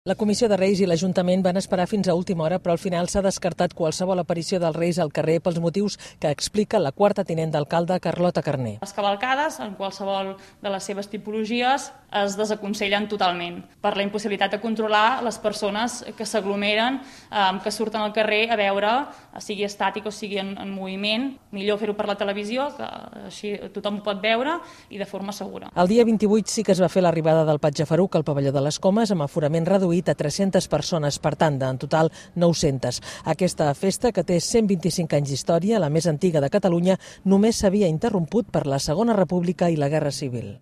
La Comissió de Reis i l'Ajuntament van esperar fins a última hora, però al final s'ha descartat qualsevol aparició dels Reis al carrer pels motius que explica la quarta tinent d'alcalde, Carlota Carner. Les cavalcades, en qualsevol de les seves tipologies, es desaconsellen totalment per la impossibilitat de controlar les persones que s'aglomeren, que surten al carrer a veure, sigui estàtic o sigui en moviment. Millor fer-ho per la televisió, que així tothom ho pot veure i de forma segura. El dia 28 sí que es va fer l'arribada del Patge Faruc al pavelló de les Comes amb aforament reduït a 300 persones, per tant, en total 900. Aquesta festa, que té 125 anys d'història, la més antiga de Catalunya, només s'havia interromput per la Segona República i la Guerra Civil.